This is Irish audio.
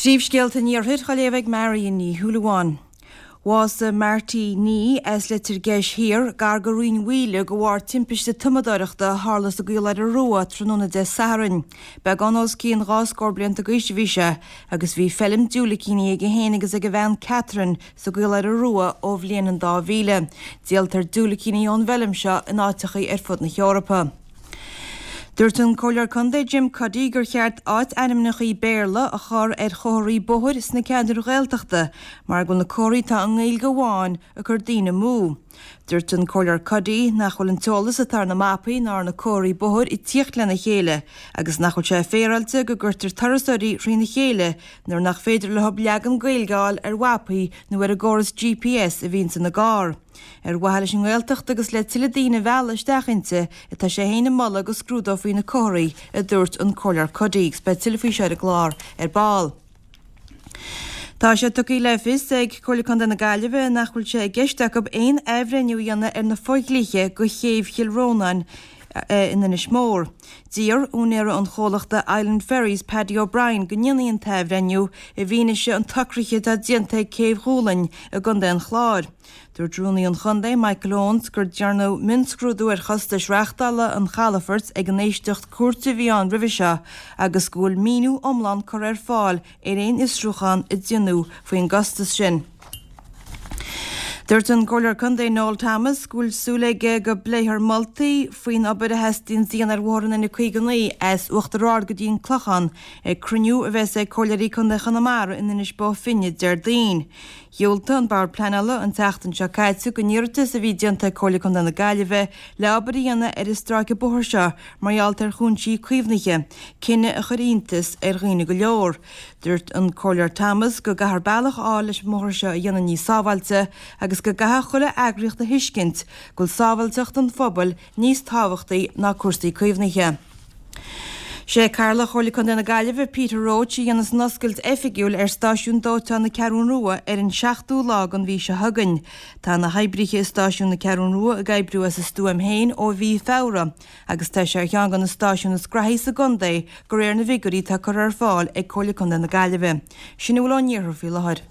Príomhscéalta an Iarthair á léamh ag Marion Ní Shúilleabháin. Bhásaigh Marty Nee as Leitir Geis Thiar, gar go Rinn Mhaoile, de bharr timpiste tumadóireachta a tharla sa gCaoláire Rua tráthnóna Dé Sathairn. Beagán os cionn 2 scór blianta d'aois a bhí sé agus bhí feilm diúilicíní aige féin agus ag a bhean Catherine sa gCaoláire Rua ó bhliain an 2000. Díoltar diúilicíní ón bhfeilm seo in áiteachaí ar fud na hEorpa. Dúirt an Comhairleoir Contae Jim Cuddy gur cheart áit-ainmneachaí Béarla a chur ar chomharthaí bóthair sna ceantair Ghaeltachta mar go bhfuil na comharthaí atá i nGaeilge amháin ag cur daoine amú. Dúirt an Comhairleoir Cuddy nach bhfuil an t-eolas atá ar na mapaí ná ar na comharthaí bóthair ag tíocht lena chéile agus nach bhfuil sé féaráilte go gcuirtear turasóirí thrína chéile nuair nach féidir leo leagan Gaeilge a fháil ar mhapaí nó ar an gcóras GPS a bhíonns ina gcarr. Ar mhaithe leis an nGaeltacht agus le tuilleadh daoine a mhealladh isteach inti atá sé féin ag moladh go scrúdófaí na comharthaí, a dúirt an Comhairleoir Cuddy, agus beidh tuilleadh faoi seo ar an gclár ar ball. Tá sé tugtha le fios ag Comhairle Contae na Gaillimhe nach bhfuil sé i gceist acu aon athbhreithniú a dhéanamh ar na fodhlíthe do chéibh Chill Rónáin in Inis Mór. D'iarr úinéara an chomhlachta Island Ferries, Paddy O'Brien, go ndéanfaí an t-athbhreithniú i bhfianaise an tsocraithe atá déanta ag Céibh Dhúlainn i gContae an Chláir. Dúirt Rúnaí an Chontae, Michael Owens, gur dearnadh mionscrúdú ar chostais reachtála an chalafoirt ag an éisteacht cúirte a bhí ann roimhe seo agus go bhfuil míniú iomlán curtha ar fáil ar aon fhiosrúchán a déanadh faoin gcostas sin. Dúirt an Comhairleoir Contae Noel Thomas go bhfuil súil aige go bpléifear moltaí faoin obair a theastaíonn a dhéanamh ar bhóthar an N59 as Uachtar Ard go dtí an Clochán ag cruinniú a bheas ag Comhairleoirí Contae Chonamara in Inis Bó Finne Déardaoin. Dhiúltaigh an Bord Pleanála an tseachtain seo caite don iarratas a bhí déanta ag Comhairle Contae na Gaillimhe le obair a dhéanamh ar an stráice bóthair seo mar gheall ar chúinsí caomhnaithe, cinneadh a chuir iontas ar dhaoine go leor. Dúirt an Comhairleoir Thomas go gcaithfear bealach a fháil leis an mbóthar seo a dhéanamh níos sábháilte agus go gcaithfidh chuile eagraíocht a thuiscint go bhfuil sábháilteacht an phobail níos tábhachtaí ná cúrsaí caomhnaithe. Sé Cathaoirleach Chomhairle Contae na Gaillimhe, Peter Roche, a dhéanfas an oscailt oifigiúil ar Stáisiún Dóiteáin na Ceathrún Rua ar an seachtú lá den mhí seo chugainn. Tá na hoibrithe i Stáisiún na Ceathrún Rua ag oibriú as a stuaim féin ó mhí Feabhra. agus tá sé ar cheann de na stáisiúin is graithí sa gcontae de réir na bhfigiúirí atá curtha ar fáil ag Comhairle Contae na Gaillimhe. Sin a bhfuil ón iarthar faoi láthair.